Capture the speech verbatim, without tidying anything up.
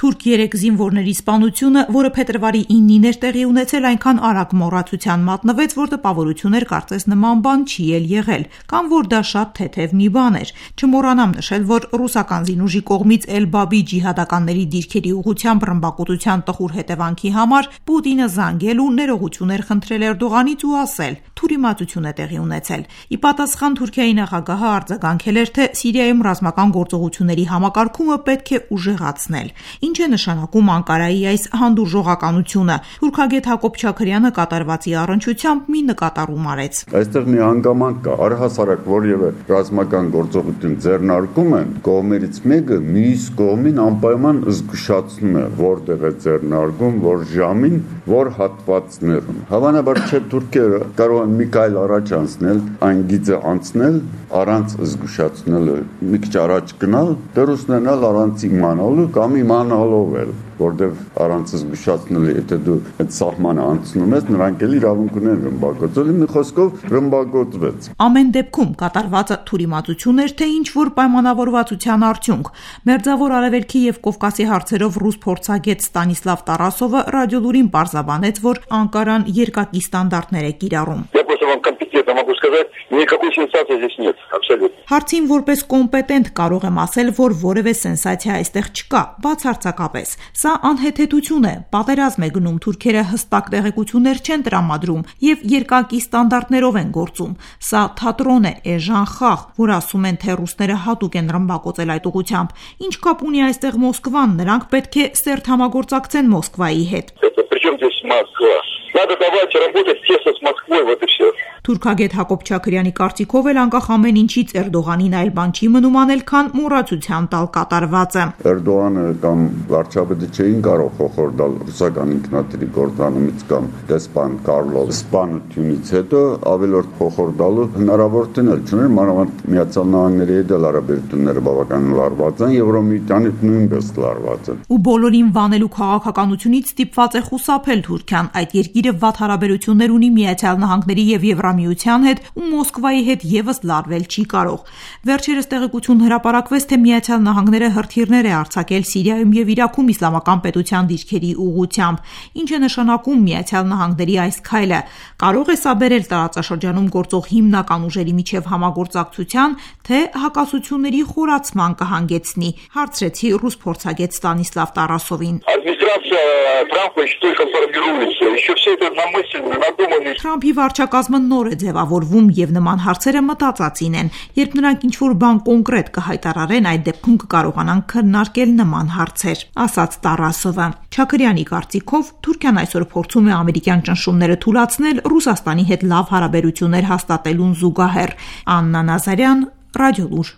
Թուրք երեք զինվորների սպանությունը, որը փետրվարի իննին էր տեղի ունեցել, այնքան արագ մոռացության մատնվեց, որ տպավորություն էր կարծես նման բան չի էլ եղել, կամ որ դա շատ թեթև մի բան էր։ Չմոռանամ նշել, որ ռուսական զինուժի կողմից Էլ-Բաբի ջիհադականների դիրքերի ուղղությամբ ռմբակոծության տխուր հետևանքի համար Պուտինը զանգել ու ներողություն էր խնդրել Էրդողանից ու ասել. թուրիմացություն է տեղի ունեցել։ Ի պատասխան Թուրքիայի նախագահը արձագանքել էր, թե Սիրիայում ռազմական գործողությունների համակարգումը պետք է ուժեղացնել։ Ինչ է նշանակում Անկարայի այս հանդուրժողականությունը։ Թուրքագետ Հակոբ Չաքրյանը կատարվածի առնչությամբ մի նկատառում արեց։ Այստեղ մի հանգամանք կա, առհասարակ որևէ ռազմական գործողություն ձեռնարկում են, կողմերից մեկը մյուս կողմին անպայման զգուշացնում է, որտեղ է ձեռնարկում, որ ժամին, որ հատվածներում։ Հավանաբար չէ թուրքերը կարող են մի քայլ առաջ անցնել, այն գիծը անցնել առանց զգուշացնելու, մի քիչ առաջ գնալ, դեռ ուսնենալ առանց իմանալու կամ իմանալով էլ, որտեղ առանց զգուշացնելու, եթե դու այդ սահմանը անցնում ես, նրանք էլ իրավունք ունեն ռմբակոծել, մի խոսքով ռմբակոծվեց։ Ամեն դեպքում կատարվածը թուրիմացություն էր, թե ինչ որ պայմանավորվածության արդյունք։ Մերձավոր Արևելքի եւ Կովկասի հարցերով ռուս փորձագետ Ստանիսլավ Տարասովը ռադիոլուրին պարզաբանեց, որ Անկարան երկակի ստանդարտներ է կիրառում։ Հարցին որպես կոմպետենտ կարող եմ ասել, որ որևէ սենսացիա այստեղ չկա, բացարձակապես։ Սա անհեթեթություն է, պատերազմ է գնում, թուրքերը հստակ տեղեկություններ չեն տրամադրում եւ երկակի ստանդարտներով են գործում։ Սա թատրոն է, էժան խաղ, որ ասում են, թե ռուսները հատուկ են ռմբակոծել այդ ուղղությամբ։ Ինչ կապ ունի այստեղ Մոսկվան, նրանք պետք է սերտ համագործակցեն Մոսկվայի հետ։ Թուրքագետ Հակոբ Չաքրյանի կարծիքով էլ անկախ ամեն ինչից Էրդողանին այլ բան չի մնում անել, քան մոռացության տալ կատարվածը։ Էրդողանը կամ վարչապետը չէին կարող խոխորդալ ռուսական ինքնաթիռի կործանումից կամ դեսպան Կարլով սպանությունից հետո ավելորդ խոխորդալու հնարավորություն էլ չուներ, մանավանդ Միացյալ Նահանգների հետ էլ հարաբերությունները բավականին լարված են, Եվրոմիտյանի նույնպես լարված են։ Ու բոլորին վանելու քաղաքականությունից ստիպված է խուսափել Թուրքիան, այդ երկիրը վատ հարաբերություններ ունի Միացյալ Նահանգների եւ Եվրամիության հետ ու Մոսկվայի հետ եւս լարվել չի կարող։ Վերջերս տեղեկություն հրապարակվեց, թե Միացյալ Նահանգները հրթիռներ է արձակել Սիրիայում եւ Իրաքում իսլամական պետության դիրքերի ուղղությամբ։ Ինչ է նշանակում Միացյալ Նահանգների այս քայլը։ Կարող է սա բերել տարածաշրջանում գործող հիմնական ուժերի միջև համագործակցության, թե հակասությունների խորացման կհանգեցնի, հարցրեցի ռուս փորձագետ Ստանիսլավ Տարասովին։ Թրամփի վարչակազմը նոր է ձևավորվում եւ նման հարցերը մտածածին են։ Երբ նրանք ինչ-որ բան կոնկրետ կհայտարարեն, այդ դեպքում կկարողանան քննարկել նման հարցեր, ասաց Տարասովը։ Չաքրյանի կարծիքով Թուրքիան այսօր փորձում է ամերիկյան ճնշումները թուլացնել Ռուսաստանի հետ լավ հարաբերություններ հաստատելուն զուգահեռ։ Աննա Նազարյան, Ռադիոլուր։